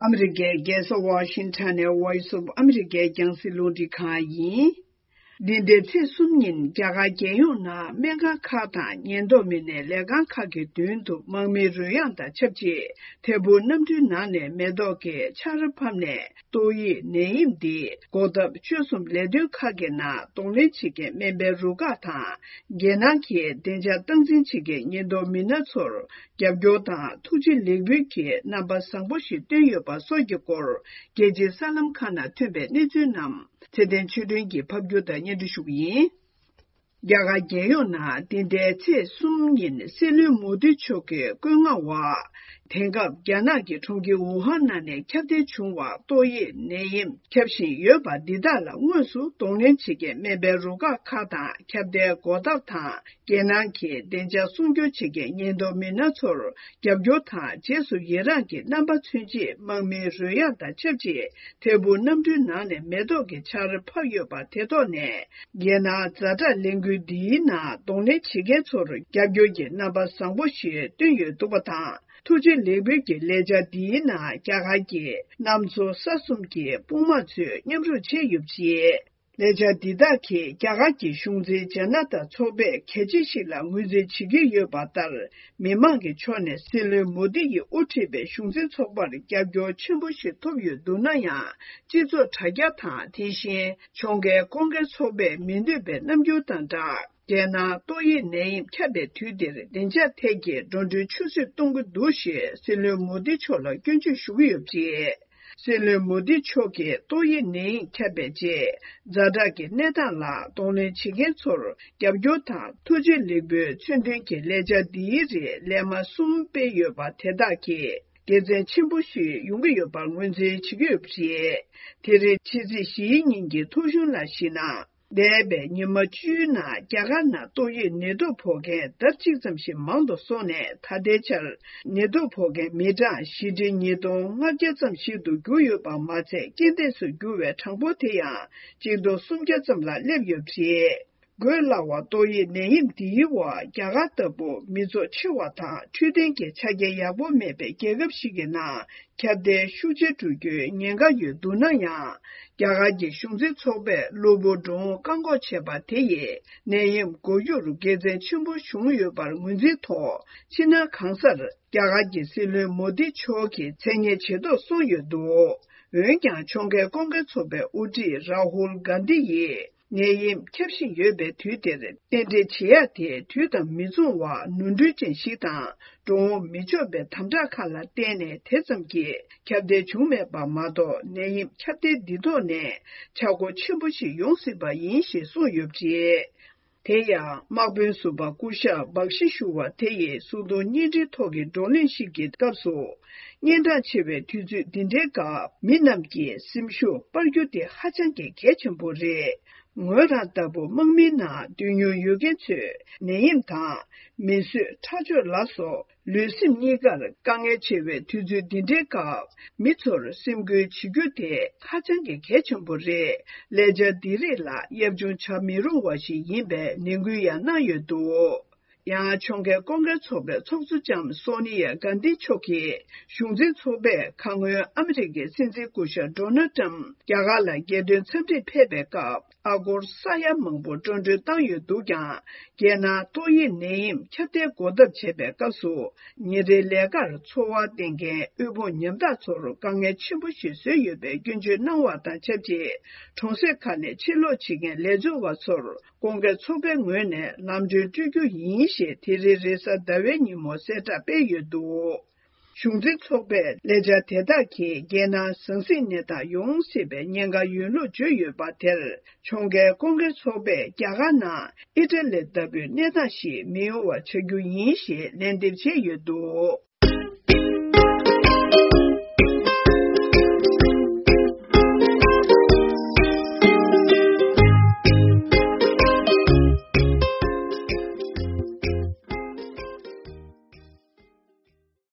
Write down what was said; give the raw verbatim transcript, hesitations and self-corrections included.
ཨ་མི་རི་ཀའི་རྒྱལ་ས་ཝ་ཤིང་ཊོན་ནས་Voice of America རྒྱང་སྲིང་རླུང་འཕྲིན་ཁང་ཡིན། འདི་ཟླའི་ཚེས་གསུམ་ཉིན་རྒྱ་གར་རྒྱལ་ཡོངས་ནང་སྨན་ཁང་ཁག་དང་ཉེན་རྟོག་མི་སྣས་ལས་ཁང་ཁག་གི་མདུན་དུ་དམག་མིའི་རོལ་དབྱངས་དང་ཆབས་ཅིག་ཐད་འཕུར་གནམ་གྲུའི་ནང་ནས་མེ་ཏོག་གི་ཆར་ཕབ་ནས། ཏོག་དབྱིབས་ནད་ཡམས་འདི་འགོག་ཐབས་བཅོས་གསུམ་ལས་དོན་ཁག་གི་ནང་གདོང་ལེན་བྱེད་མཁན་སྨན་པའི་རུ་ཁག་དང་། རྒྱལ་ནང་གི་བདེ་འཇགས་སྟངས་འཛིན་བྱེད་མཁན་ཉེན་རྟོག་མི་སྣ་ཚོར་རྒྱབ་སྐྱོར་དང་ཐུགས་རྗེ་ལེགས་འབུལ་གྱི་རྣམ་པ་བཟང་པོ་ཞིག་བཏོན་ཡོད་པ་སོགས་ཀྱི་སྐོར། རྒྱལ་སྤྱིའི་གསར་ལམ་ཁག་ནང་ཐོན་པའི་གནས་ཚུལ་རྣམས་ཚེ་བརྟན་ཆོས་སྒྲོན་གྱིས་ཕབ་སྒྱུར་དང་སྙན་སྒྲོན་ཞུ་གི་ཡིན། རྒྱ་གར་རྒྱལ་ཡོངས་ནང་འདི་ཟླའི་ཚེས་གསུམ་ཉིན་སྲིད་བློན་མོ་དི་མཆོག་གིས་བཀོད་མངགས་འོག་དེང་སྐབས་རྒྱ་ནག་གི་གྲོང་ཁྱེར་ཝུ་ཧན་ནང་ནས་ཁྱབ་གདལ་བྱུང་བ་ཏོག་དབྱིབས་ནད་ཡམས་ཁྱབ་བཞིན་ཡོད་པ་འདི་དག་ལ་དངོས་སུ་གདོང་ལེན་བྱེད་མཁན་སྨན་པའི་རུ་ཁག་ཁག་དང་ཁྱབ་གདལ་འགོག་ཐབས་དང་། རྒྱལ་ནང་གི་བདེ་འཇགས་སྲུང་སྐྱོབ་བྱེད་མཁན་ཉེན་རྟོག་མི་སྣ་ཚོར་རྒྱབ་སྐྱོར་དང་རྗེས་སུ་ཡི་རངས་ཀྱི་རྣམ་པ་མཚོན་ཆེད་དམག་མིའི་རོལ་དབྱངས་དང་ཆབས་ཅིག་ཐད་འཕུར་གནམ་གྲུའི་ནང་ནས་མེ་ཏོག་གི་ཆར་ཕབ་ཡོད་པ་དེ་ཐོག་ནས། རྒྱལ་ནང་ཛ་དྲག་ལས་འགུལ་འདིའི་ནང་གདོང་ལེན་བྱེད་མཁན་ཚོར་རྒྱབ་སྐྱོར་གྱི་རྣམ་པ་བཟང་པོ་ཞིག་བཏོན་ཡོད་འདུག་པ་དང་། ཐུགས་རྗེ་ལེགས་འབུལ་གྱི་ལས་འཆར་འདིའི་ནང་རྒྱ་གར་གྱི་གནམ་མཚོ་ས་གསུམ་གྱི་དཔུང་དམག་ཚོས་མཉམ་རུབ་བྱས་ཡོད་པ་རེད། ལས་འཆར་འདི་དག་གིས་རྒྱ་གར་གྱི་གཞུང་འཛིན་ཇ་ན་ཏ་ཚོགས་པས་གལ་ཆེ་ཞིག་ལ་ངོས་འཛིན་བྱེད་ཀྱི་ཡོད་པ་ལྟར། མི་མང་གི་ཕྱོགས་ནས་སྲིད་བློན་མོ་དི་ཡིས་དབུ་ཁྲིད་པའི་གཞུང་འཛིན་ཚོགས་པར་རྒྱབ་སྐྱོར་ཆེན་པོ་ཞིག་ཐོབ་ཡོད་འདུག་ན་ཡང་། སྤྱི་ཚོགས་དྲ་རྒྱ་དང་། དེ་བཞིན་ཕྱོགས་འགལ་ཁོང་འགན་ཚོགས་པས་མི་འདོད་པའི་རྣམ་འགྱུར་དང་སྦྲགས། རྒྱལ་ནང་ཏོག་དབྱིབས་ནད་ཡམས་ཁྱབ་པའི་དུས་འདིར་བདེ་འཇགས་ཐད་ཀྱི་འགྲོ་གྲོན་ཆུད་ཟོས་གཏོང་གི་འདུག་ཞེས་སྲིད་བློན་མོ་དི་མཆོག་ལ་སྐྱོན་བརྗོད་ཞུ་གི་ཡོད་པ་རེད། སྲིད་བློན་མོ་དི་མཆོག་གིས་ཏོག་དབྱིབས་ནད་ཡམས་ཁྱབ་པའི་རྗེས། ཛ་དྲག་གི་གནས་སྟངས་ལ་གདོང་ལེན་བྱེད་མཁན་ཚོར་རྒྱབ་སྐྱོར་དང་ཐུགས་རྗེ་ལེགས་འབུལ་མཚོན་དོན་གྱི་ལས་འཆར་འདིའི་རིགས་ལས་མ་གསུམ་སྤེལ་ཡོད་པ་དེ་དག་གིས་དགེ་མཚན་ཆེན་པོ་ཞིག་ཡོང་གི་ཡོད་པར་ངོས་འཛིན་བྱེད་ཀྱི་ཡོད་པ་རེད། དེ་རིང་ཕྱི་ཚེས་བཞིའི་ཉིན་གྱི་ཐོ་གཞུང་ལ་གཞིགས་ན། འདས་པའི་ཉི་མ་བཅུའི་ནང་རྒྱ་གར་ནང་ཏོག་དབྱིབས་ནད་དུག་ཕོག་མཁན་ལྡབ་གཅིག་ཙམ་ཞིག་མང་དུ་སོང་ནས། ད་ལྟའི་ཆར་ནད་དུག་ཕོག་མཁན་མི་གྲངས་བཞི་ཁྲི་ཉིས་སྟོང་ལྔ་བརྒྱ་ཙམ་ཞིག་ཏུ་གྱུར་ཡོད་པ་མ་ཚད། རྐྱེན་འདས་སུ་གྱུར་བའི་གྲངས་འབོར་དེ་ཡང་གཅིག་སྟོང་སུམ་བརྒྱ་ཙམ་ལ་སླེབས་ཡོད་པ་རེད། འགོས་སླ་བ་ཏོག་དབྱིབས་ནད་ཡམས་འདིའི་འོག་རྒྱ་གར་ལྟ་བུ་མི་ཚོགས་ཆེ་བ་དང་འཕྲོད་བསྟེན་གྱི་ཆ་རྐྱེན་ཡག་པོ་མེད་པའི་རྒྱལ་ཁབ་ཞིག་གི་ནང་། ཁྱབ་གདལ་ཤུགས་ཆེ་འགྲོ་རྒྱུའི་ཉེན་ཁ་ཡོད་འདུག་ན་ཡང་། རྒྱ་གར་གྱི་གཞུང་འཛིན་ཚོགས་པས་གློ་བུར་འགྲོ་འོང་བཀག་འགོག་བྱས་པ་དེ་ཡིས་ནད་ཡམས་འགོག་རྒྱུར་དགེ་མཚན་ཆེན་པོ་བྱུང་ཡོད་པར་ངོས་འཛིན་ཐོག་ཕྱི་ནང་གང་སར་རྒྱ་གར་གྱི་སྲིད་བློན་མོ་དི་མཆོག་གི་མཚན་སྙན་བྱེ་ཐོག་སོང་ཡོད་འདུག་འོན་ཀྱང་། ཕྱོགས་འགལ་ཀོང་ཀེ་ཚོགས་པའི་དབུ་ཁྲིད་རཱ་ཧུལ་གྷན་དྷི་ཡིས། ནད་ཡམས་ཁྱབ་བཞིན་ཡོད་པའི་དུས་འདིར། རྟེན་འབྲེལ་བྱེད་ཡག་དེ་དུས་དང་མི་མཚུངས་པ། ནོར་འཁྲུལ་ཅན་ཞིག་དང་། འགྲོ་འོང་མི་ཆོག་པའི་དམ་དྲག་ཁག་ལ་བརྟེན་ནས། དེ་ཙམ་གྱིས་ཁྱབ་གདལ་བྱུང་མེད་པ་མ་གཏོགས། ནད་ཡམས་ཁྱབ་གདལ་འདི་ཐོག་ནས་ཆག་སྒོ་ཆེན་པོ་ཞིག་ཡོང་སྲིད་པ་ཡིན་ཞེས་གསུངས་ཡོད་པ་རེད། དེ་ཡང་། དམག་དཔོན་ཟུར་པ་སྐུ་ཞབས་བག་ཤི་ཞུ་བ་དེ་ཡིས་གསུང་དོན་བརྙན་འཕྲིན་ཐོག་གི་བགྲོ་གླེང་ཞིག་གི་སྐབས་སུ། གཉན་འཕྲང་ཆེ་བའི་དུས་ཚོད་འདི་འདྲའི་སྐབས། མི་རྣམས་ཀྱིས་སེམས་ཤུགས་སྤར་རྒྱུ་དེ་ཧ་ཅང་གི་གལ་ཆེན་པོ་རེད། ངོས་རང་ལྟ་བུ་དམག་མིའི་ནང་སྡོད་མྱོང་ཡོད་མཁན་ཚོས། ནད་ཡམས་དང་། མི་གསོད་ཁྲག་སྦྱོར་ལ་སོགས། ལུས་སེམས་གཉིས་ཀར་དཀའ་ངལ་ཆེ་བའི་དུས་ཚོད་འདི་འདྲའི་སྐབས། མི་ཚོར་སེམས་འགུལ་བྱེད་རྒྱུ་དེ་ཧ་ཅང་གི་གལ་ཆེན་པོ་རེད། ལས་འཆར་འདི་རིགས་ལ་གཡབ་ཆུང་བྱ་མི་རུང་བ་ཞིག་ཡིན་པའི་ནན་སྐུལ་ཡང་གནང་ཡོད་འདུག་ཡང་། ཕྱོགས་འགལ་ཀོང་ཀེ་ཚོགས་པའི་ཚོགས་གཙོ་ལྕམ་སོ་ནི་ཡ་གྷན་དྷི་མཆོག་གིས། གཞུང་འཛིན་ཚོགས་པས་ཁ་སྔོན་ཨ་མི་རི་ཀའི་སྲིད་འཛིན་སྐུ་ཞབས་ཌོ་ནལ་ཊམ་རྒྱ་གར་ལ་རྒྱལ་དོན་འཚམས་འདྲིར་ཕེབས་པའི་སྐབས། ཨ་སྒོར་ས་ཡ་མང་པོ་སྤྲོད་གྲོན་བཏང་ཡོད་འདུག་ཀྱང་། རྒྱལ་ནང་ཏོག་དབྱིབས་ནད་ཡམས་ཁྱབ་གདལ་འགོག་ཐབས་བྱེད་པའི་སྐབས་སུ། ཉིན་རེའི་ལས་ཀར་འཚོ་བ་བརྟེན་མཁན་དབུལ་ཕོངས་ཉམ་ཐག་ཚོར་དཀའ་ངལ་ཆེན་པོ་ཞིག་བཟོས་ཡོད་པའི་སྐྱོན་བརྗོད་གནང་བ་དང་ཆབས་ཅིག་གྲོང་གསེབ་ཁག་ནས་ཕྱིར་ལོག་བྱེད་མཁན་ལས་བྱེད་པ་ཚོར། ཀོང་ཀེ་ཚོགས་པའི་ངོས་ནས་ལམ་གྲོན་སྤྲོད་རྒྱུ་ཡིན་ཞེས། དེ་རིང་རེས་གཟའ་ཟླ་བའི་ཉིན་མོ་གསལ་བསྒྲགས་སྤེལ་ཡོད་འདུག་གཞུང་འཛིན་ཚོགས་པས་ལས་འཆར་དེ་དག་གིས་རྒྱལ་ནང་ཟང་ཟིང་གནས་སྟངས་ཡོང་སྲིད་པའི་ཉེན་ཁ་ཡོད་ལུགས་བརྗོད་ཡོད་པ་དེར། ཕྱོགས་འགལ་ཀོང་ཀེ་ཚོགས་པས་རྒྱ་གར་ནང་ཨི་ཊ་ལི་ལྟ་བུའི་གནས་སྟངས་ཤིག་མི་ཡོང་བ་བྱ་རྒྱུ་ཡིན་ཞེས་ལན་འདེབས་བྱས་ཡོད་འདུག